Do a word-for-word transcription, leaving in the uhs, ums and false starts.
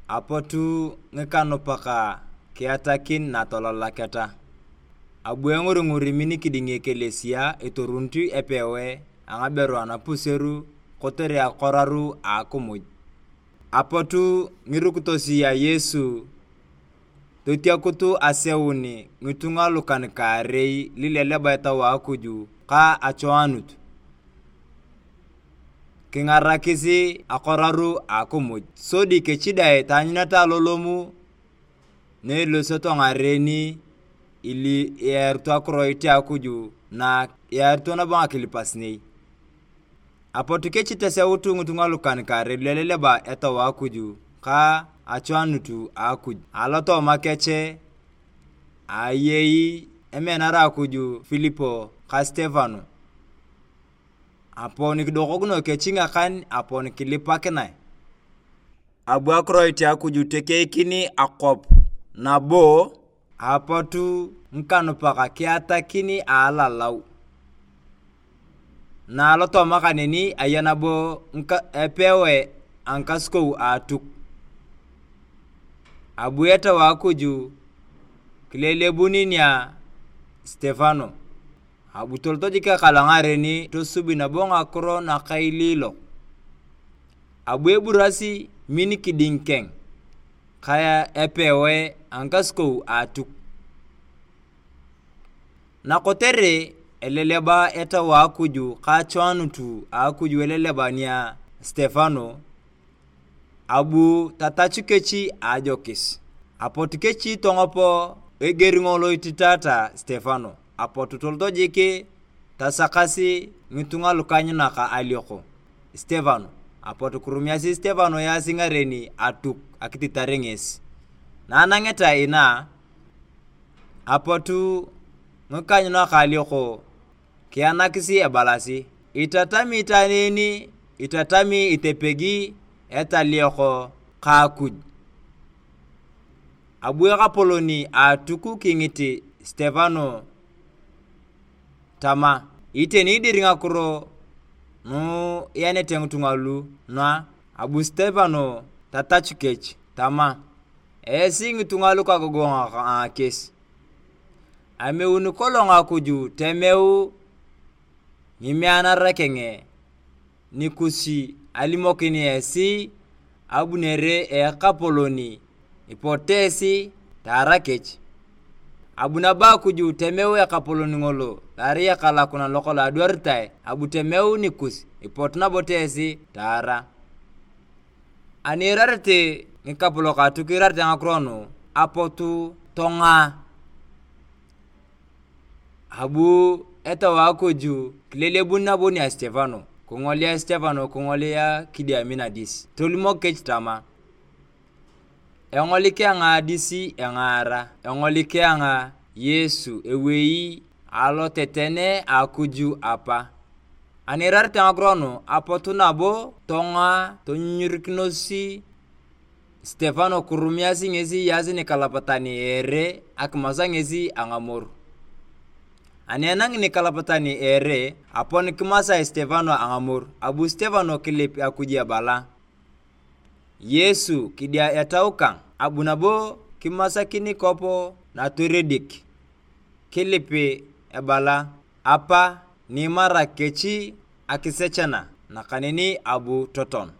Apotu ngikanupak kiatakin natololaketa. Abu engurigur min kiding ekelesia etorunit epewe a ngaberu anapuseru kotere akoraru a akimuj. Apotu ngirukitos a Yesu totiakut aseun ngitunga lukan-kaarei lileleba Etau a Akuj ka achoanut, kingarakis akoraru a akimuj, sodi kechi dang taanyuneta alolomu na elosioto ngaren ili iarito akiroit a Akuj na iarito nabo ngakilipasinei. Apotu kechi teseut ngitunga lukan-kaarei lileleba Etau a Akuj ka achoanut a Akuj. Alotooma kech, ayei emenar a Akuj Filipo ka Stefano. Apon kidokokino kech ngakan apon kilipakinae. Abu akiroit a Akuj tekeikin akwap nabo. Apotu ngikanupak kiatakin alalau. Na alotooma kaneni aya nabo ngika-, epewe a ngikasukou a Atuk. Abu Etau a Akuj kilelebun nia Stefano. Abu tolot jik ekal ngaren tosubi nabo ngakiro nakailiilok. Abu eburasi min kiding keng ka epewe a ngikasukou a Atuk. Na kotere eleleba Etau a Akuj ka achoanut a Akuj eleleba nia Stefano, abu tatachu kech a ajokis. Apot kech tongop eger ngolo ititata Stefano, apot tolot jik tasakasi ngitunga lukanyunak alioko Stefano. Apot kirumiasi Stefano easi ngaren Atuk akititar ngesi. Na anangeta ina, apot ngikanyunak alioko kianakis ebalasi, "Itatami itwaan en, itatami itepegi etalioko ka Akuj." Abu ekapolon a Atuk kingit Stefano tama, "Iteni dir ngakiro nu ianete ngitunga lu nua?" Abu Stefano tatachu kech tama, "Esi ngitunga lukagogongu a kes, ameuni kolong Akuj temeu ngimeanara keng nikus alimokin esi abunere a Ekapolon, ipote esi taara kech. Abu nabo Akuj temeu Ekapolon ngolo, lo erai ekalakuna lokolong adwaritae, abu temeu nikus, ipot nabo tesi taara." Ani iirarete ngikapolok Atuk iirarete ngakiro nu, apotu tongaa. Abu Etau a Akuj kilelebun nabo nia Stefano, kingolia Stefano, kingolia kidiami nadis. Tolimok kech tama, "Engolik ayong adis engaara, engolik ayong Yesu ewei aloteten a Akuj Apa." Ani iirarete ngakiro nu, apotu nabo tongaa tonyunyurikinos Stefano kirumiasi ngesi eyaasi nikalapatan a ere akimasa ngesi a ngamoru. Ani enangi nikalapatan a ere, apon kimasa Stefano a ngamoru, abu Stefano kilip Akuj ebala, "Yesu, kidia Etau kang." Abu nabo kimasakin kop natoredik, kilip ebala, "Apa, nimarak kech akisechana," nakaneni abu toton.